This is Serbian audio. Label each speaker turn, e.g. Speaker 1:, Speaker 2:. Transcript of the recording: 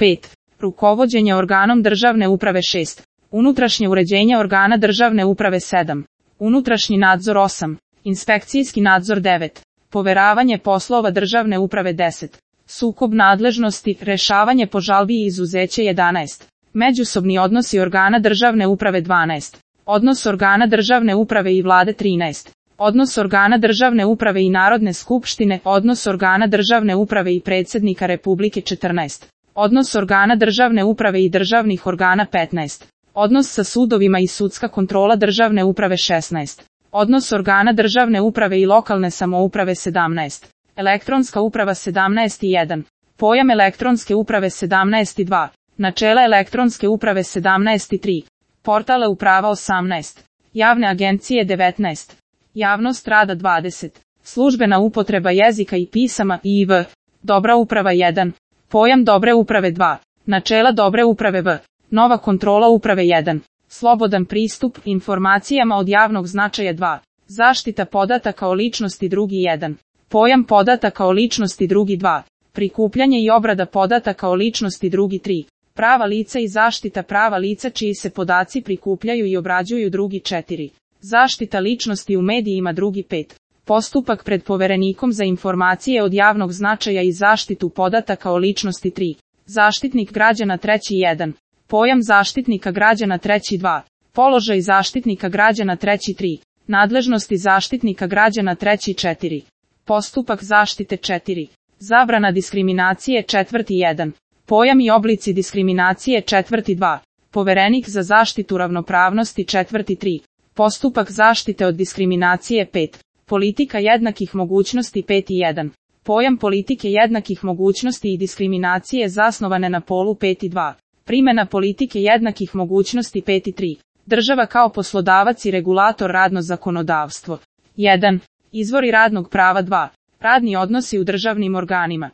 Speaker 1: 5. Rukovođenje organom državne uprave 6. Unutrašnje uređenje organa državne uprave 7. Unutrašnji nadzor 8. Inspekcijski nadzor 9. Poveravanje poslova državne uprave 10. Sukob nadležnosti, rešavanje po žalbi i izuzeće 11. Međusobni odnosi organa državne uprave 12. Odnos organa državne uprave i vlade 13. Odnos organa državne uprave i Narodne skupštine, odnos organa državne uprave i predsjednika Republike 14. Odnos organa državne uprave i državnih organa 15. Odnos sa sudovima i sudska kontrola državne uprave 16. Odnos organa državne uprave i lokalne samouprave 17. Elektronska uprava 17.1. Pojam elektronske uprave 17.2. Načela elektronske uprave 17.3. Portale uprava 18. Javne agencije 19. Javnost rada 20. Službena upotreba jezika i pisama IV. Dobra uprava 1. Pojam dobre uprave 2. Načela dobre uprave V. Nova kontrola uprave 1. Slobodan pristup informacijama od javnog značaja 2. Zaštita podataka o ličnosti drugi 1. Pojam podataka o ličnosti drugi 2. Prikupljanje i obrada podataka o ličnosti drugi 3. Prava lica i zaštita prava lica čiji se podaci prikupljaju i obrađuju drugi 4. Zaštita ličnosti u medijima drugi 5. Postupak pred poverenikom za informacije od javnog značaja i zaštitu podataka o ličnosti 3. Zaštitnik građana treći 1. Pojam zaštitnika građana treći 2. Položaj zaštitnika građana treći 3. Nadležnosti zaštitnika građana treći 4. Postupak zaštite 4. Zabrana diskriminacije četvrti 1. Pojam i oblici diskriminacije četvrti 2. Poverenik za zaštitu ravnopravnosti četvrti 3. Postupak zaštite od diskriminacije 5. Politika jednakih mogućnosti 5.1. Pojam politike jednakih mogućnosti i diskriminacije zasnovane na polu 5.2. Primjena politike jednakih mogućnosti 5.3. Država kao poslodavac i regulator radno zakonodavstvo. 1. Izvori radnog prava 2. Radni odnosi u državnim organima.